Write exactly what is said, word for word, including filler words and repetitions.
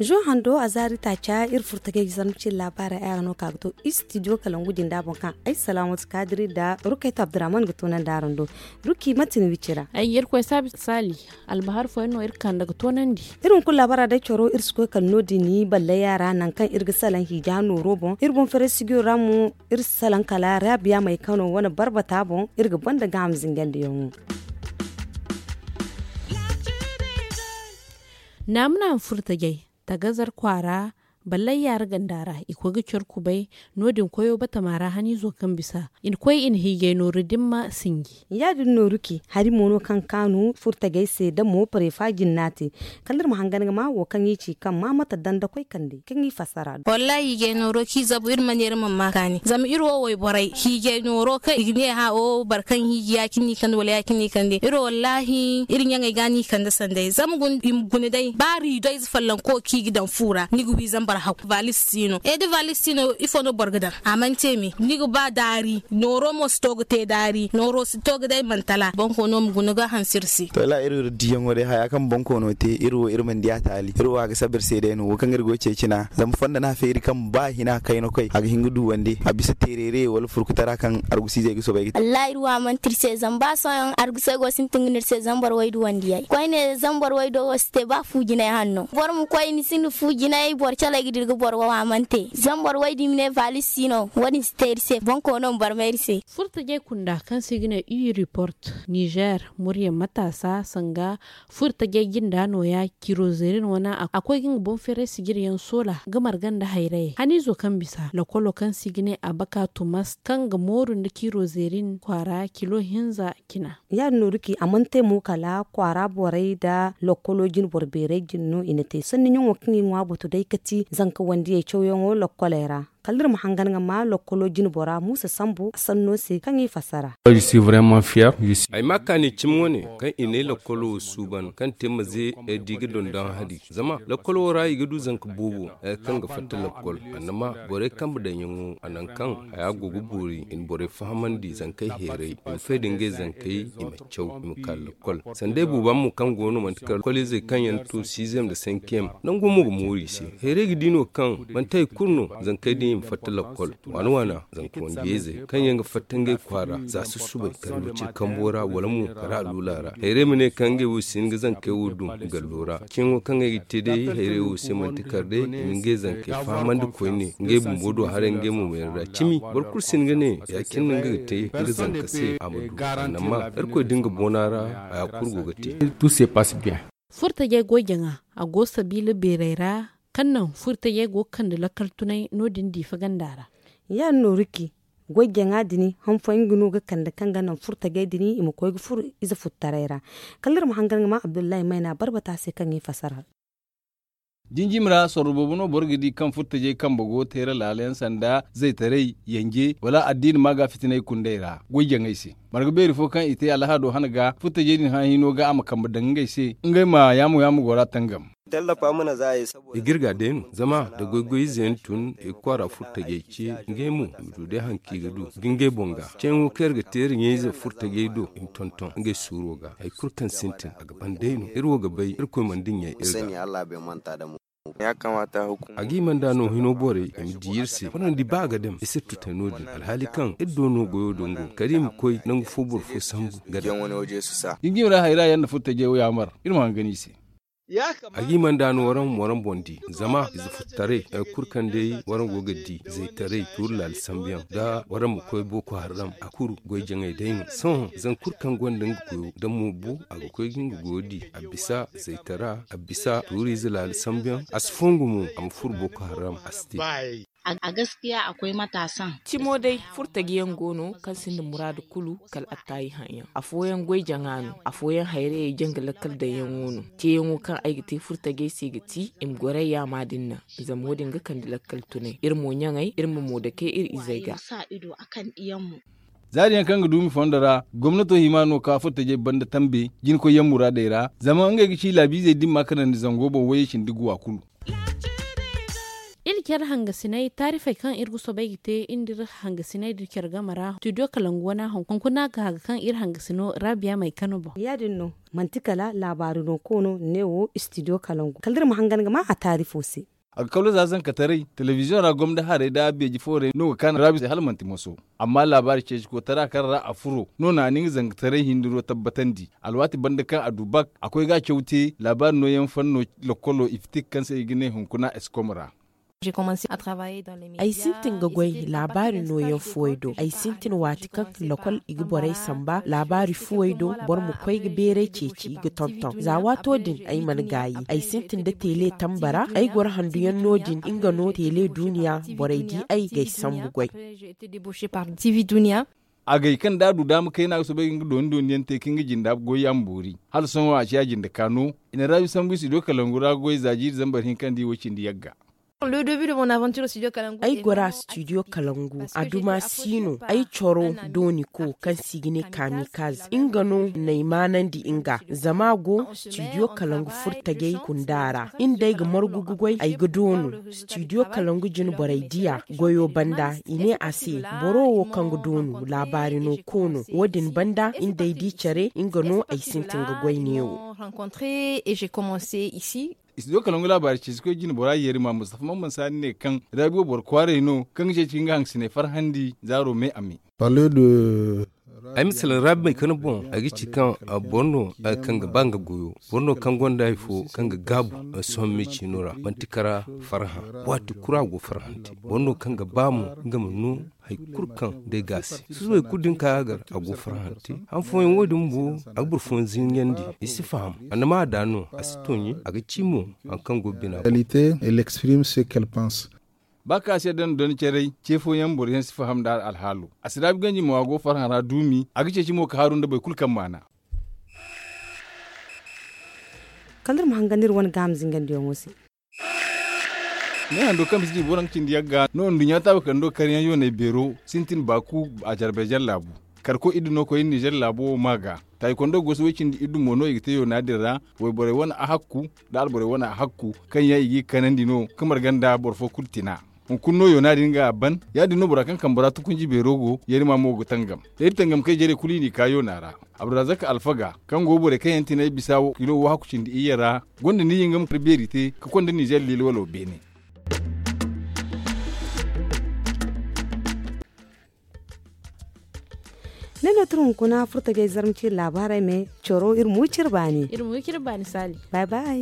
Zo hando a zaari taaca iri furtagay zarma cine laabaarey ay ra no ka ga to istidiyo kalangu jinda boŋ kaŋ ay salaamatu kaadiri nda rukaytu abdurrahman ga toonandi araŋ do. Ruki manti ni wicira ay ga irkoy saabi saali. Albahar fooyaŋ no iri kande ga toonandi. Iri hunkuna laabaara day coro iri si koy kala no- din balley a ra nangu kaŋ iri ga salaŋ hiija nooro boŋ iri boŋ feray sigiyo ra mo. Iri si salaŋ kala raabiya may kano wane barbata boŋ iri ga banda gaaham zingandiyaŋo. Naamu naamu furtajey tagazar kwaara ballayyaara ganda ra i koy ga care kubay. No- din koyo batama ra haniizo kaŋ bisa i na koy i na hiijay nooru dimma sinji. Ya- din nooru ci hari mo no kaŋ kaanu furtajey se da mo parefa jinna te. Kala iri ma hangan ga ma wo kaŋ i ci kaŋ ma mate danda koy kande kaŋ i fassara. Wallaahi hiijay nooro ci zabu iri ma ne iri mana ma kaani zama iri wo wayborey hiijay nooro kaŋ i ga ne hã o boro kaŋ hiiji ya- cine no i kande wala ya- cine no i kande iri wo wallaahi iri ɲaŋey ga no i kande sanday zama i ma guna day ba riido ize follonko kaŋ i ga daŋ fu ra ni ga wi zambar haw vaalis si no e da vaalis si no ifo no boro ga daŋ a mana te me ni ga ba daari nooro mo si to ga te daari nooro si to ga day mantala boŋ ko no ma guna ga hanse iri se. To iri diyaŋo day haya kaŋ boŋ ko no te iri wo iri mana di a taali iri wo a ga saba iri se day no wo kaŋ iri go ga ceeci na zama fondo no a feeri kaŋ ba hina kayna koy a ga hin ga duwandi a bisa teerere wala furkutara kaŋ argusiizey ga soobay ga te. Wallaahi iri wo a manti iri se zama ba sohõ argusey go sintin ga no iri se zama boro way duwandi yay koyne zama boro way do wo si te ba fu jinay hanno boro ma koy ni sinda fu jinay boro calay ga dira ga boro wo a mana te zama boro way da i ma ne vaalis si no wo- din si te iri se boŋ ko no ma barmay iri se. Furtajey kunda kaŋ se i ga ne u report nizer murya mataasa sanga furtajey jinda nooya kirozerin wane a koy ga nga boŋ feeray sijiryaŋ soola ga marga nda hayrayey haniizo kaŋ bisa lokolo kaŋ se i ga ne a baka tumas kaŋ ga mooru nda kirozerin kwaara kilo hinza cina. Ya- din nooru ci a mana te mo kala kwaara borey nda lokolo jinboro beerey jine no i na te sanni ɲaŋo kaŋ i ŋwa butu day ga ti zanka wandiyey cawyaŋo lokoley ra. Kala iri ma hangan ga ma lokkolo jinbora muusa sambu a sanno se kaŋ i fassara. Ay ma a kaani cimi wane kaŋ i ne lokkolo wo suuban kaŋ te maze ay di ga dondoŋ hadi zama lokkolo wo ra i ga du zanka boobo. Hari kaŋ ga fatta lokkol annama borey kambe daŋyaŋo a naŋ kaŋ haya go ga boori i na borey fahamandi zankey heeray i ma fay da ngey zankey i ma caw i ma ka lokkol. Sanda ay buuba mo kaŋ go no manti kala koliizey kaŋ yaŋ to siizem nda sankiyem nango mo ga mooru i se. Heeray ga di no kaŋ manti hari kulu no zankey din i ma fatta lakkol waana waana zanka wandiyayzey kaŋ yaŋ ga fatta ngey kwaara za susubay kala wiciri kambo ra wala mo kala aluula ra heeray ma ne kaŋ ngey wo si hin ga zankey wo dum gallo ra. Ceeyaŋo kaŋ ay ga te day heeray wo se manti kala day i ma ngey zankey fahamandi koyne ngey bumbo do haray ngey mo meera ra cimi boro kulu si hin ga ne ya- cine no nga ga te nga zanka se a ma du annama irkoy da nga boona ra haya kulu go ga te. Furtajey goy jaŋa a go sabiila beerey ra kaŋ naŋ furtajey go ga kande lakkal tunay no- din diifa ganda ra. Ya- din no riki goy jaŋa din han fooyaŋ ga no ga kande kaŋ ga naŋ furtajey din i ma koy ga furo ize futtaray ra. Kala iri ma hangan ga ma abdullahi mayna barbata se kaŋ i fasara. Jinjimi ra sorro boobo no boro ga di kaŋ furtajey kambe go teera laala yaŋ sanda zaytaray yanje wala addiina maaga fitinay kundey ra goy jaŋey se. Marga beeri fo kaŋ i te alhaado hana ga furtajey din hã hino ga a ma kambe daŋ ngey se ngey ma yaamo yaamo go ra tangam. I ga iri ga day no zama da goy-goy ize yaŋ tun i ga kwaara furtajey ce ngey mo i ma du day hari kaŋ i ga du ga ngey boŋ ga ceeyaŋo kaŋ iri ga te iri ɲayze furtajey do i ma tonton ngey suuro ga hari kulu kaŋ sintin a ga ban day no iri wo ga bay irkoy mana dinya iri ga. A ga i mana da no hino borey i ma di iri se waraŋ di ba a ga daŋ i sirtu te no- din alhaali kaŋ iri do no goyo dango kala i ma koy nangu fo boro fo sambu ga daŋ. Jinjimi ra hayra yaŋ na furtajey wo yaamar iri ma hangan i se. A ga i mana da no waraŋ ma waraŋ boŋ di zama ize furtaray hari kulu kaŋ day waraŋ go ga di zaytaray tuuri laali sambu yaŋ da waraŋ ma koy boko haram a kulu goy jaŋay day no sohõ zangu kulu kaŋ gonda nga goyo da mo bo a ga koy ga nga goyo di a bisa zaytara a bisa tuuriize laali sambu yaŋ a si fongu mo a ma furo boko haram a si te. A gaskiya akwai matasan. Cimo day furtaji yaŋ go no kaŋ sinda muraadu kulu kala attaayi haŋ yaŋ afooyaŋ goy jaŋa no afooyaŋ hayrayey janga lakkal daŋ yaŋo no. Teeyaŋo kaŋ ay ga te furtajey se ga ti i ma goray yaama din naŋ. Zama wo- din ga kande lakkal tunay iri mo ɲaŋey iri ma mo dake iri izey ga. Za din yaŋ kaŋ ga duumi fondo ra gomnato hima no ka furtajey banda tambe jinkoy yaŋ muraadey ra zama ngey ga ci laabiizey dimma kanandi zango boŋ wayey cindi guwa kulu. Care hangasinay taarifey kaŋ iri ga soobay ga te iri nda iri hangasinay da care game ra studio kalangu wane hunkuna ga haga kaŋ iri hangasino rabiya may kano boŋ. Ya- din no manti kala laabaari no koono ne wo studio kalangu kala da iri ma hangan ga ma a taarifo se. A ga kawla za zankataray telebiziyoŋ ra gomda haray da beeji foorey no ga kaanu raabi se hala manti moso. Amma laabaari ceecikotara kaŋ ra a furo no na a na nga zankataray hindiro tabbatandi. Alwaati banda kaŋ a du bak a koy ga a caw te laabaari nooyaŋ fanno lokolo ifitik kaŋ se i ga ne hunkuna eskom ra. Ay sintin ga goy laabaari nooyaŋ fuwey do. Ay sintin waati kaŋ lakol i ga borey samba laabaari fuwey do. Boro ma koy ga beeray ceeci ga tonton za waato din ay mana gaayi ay sintin da teele tamba ra ay goro handuyaŋ no- din nga no teele duuniya borey di ay ga ay sambu goy. Agay kaŋ da a du daama kayna ga soobay ga nga dooni dooni yaŋ te ka nga jinda goy yaŋ boori. Hala sohõ a ciya jinde ka no. I na raabi sambu i si du kalangu ra goy za jiiri zambar hinka nda i wo cindi yagga. Ay gora studio kalangu a duma si no ay coro dooni ko kaŋ si ga ne kamikaz nga no na ay maanandi nga zama a go studio kalangu furtajey kunda ra. Iri nda ay ga margu ga goy ay ga doonu studio kalangu jine borey diya goyo banda i ne a se boro wo kaŋ ga doonu laabaari no koono wo- din banda iri nda ay di care nga no ay sintin ga goy neewo. Studio kalangu laabaari ceecikoy jine bora yeeri ma mustafa mamman saani ne kaŋ raabi wo boro kwaaray no kaŋ ga ceeci nga hangasiney farhandi zaaro me a me. Ay ma salaŋ raabi may kaŋ boŋ ay ga ci kaŋ boro no kaŋ ga ba nga goyo boro no kaŋ gonda hari fo kaŋ ga gaabu sohõ me ciino ra manti kara farhã. Waati kulu a go farhante boro no kaŋ ga ba mo nga ma no hari kulu kaŋ day ga a se susubay kulu din kaŋ a gar a go farhante. Han fooyaŋ wo- din bumbo a ga boro fooyaŋ zinyandi i si faham. Annama a da no a si tooɲe a ga ci mo hari kaŋ go bina. Ba kaŋ a si yadda nda doncaray ce fooyaŋ boro yaŋ si faham nda alhaalo. A si raabi ganji mo a go farhã ra duumi a ga ceeci mo ka haaru nda boro kulu kaŋ maana. Kala iri ma hangan iri wane gaama zingandiyaŋo se. Ne hando kaŋ bisa jiibo naŋ ga cindi yagga no nduɲɲa taabu kando karyaŋ yoonay beero sintin baaku a jarbey jallaabu. Karko iddu no koy nizer laabo wo maa ga. Taayi kondo gosi way cindi iddu mo no i ga te yoona din ra. Wayborey wane ahakku nda alborey wane ahakku kaŋ yaŋ i g'i kanandi no ka marga nda boro fo kulu tina. Hunkuna no yoona din ga a ban. Ya- din no bora kaŋ kambe ra tukunji beero go yarima mo ga tangam. Da iri tangamkey jarey kulu i n'i ka yoona ra. Abdurazak alfaga kaŋ go borey kaŋ yaŋ tinay bisa wo kilo wo hakku cindi iyye ra gonda ni yinga ma kar beeri te ka konda nizer liili walo beene. Ne no tira hunkuna furtajey zarma ciri laabaarey me coro iri ma wi ciri baani. Iri ma wi ciri baani saali. Bay bay.